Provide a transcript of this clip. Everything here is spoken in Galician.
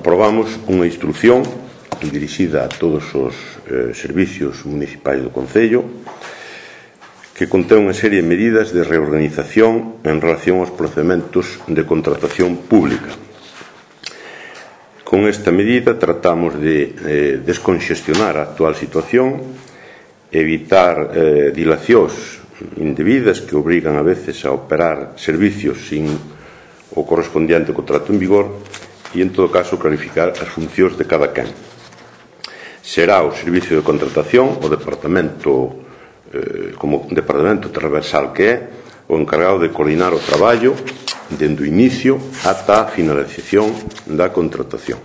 aprobamos unha instrucción dirixida a todos os servicios municipais do Concello que contén unha serie de medidas de reorganización en relación aos procedementos de contratación pública. Con esta medida tratamos de desconxestionar a actual situación, evitar dilacións indebidas que obrigan a veces a operar servicios sin o correspondiente contrato en vigor e, en todo caso, clarificar as funcións de cada quen. Será o servicio de contratación, o departamento como departamento transversal que é, o encargado de coordinar o traballo dende o inicio ata a finalización da contratación.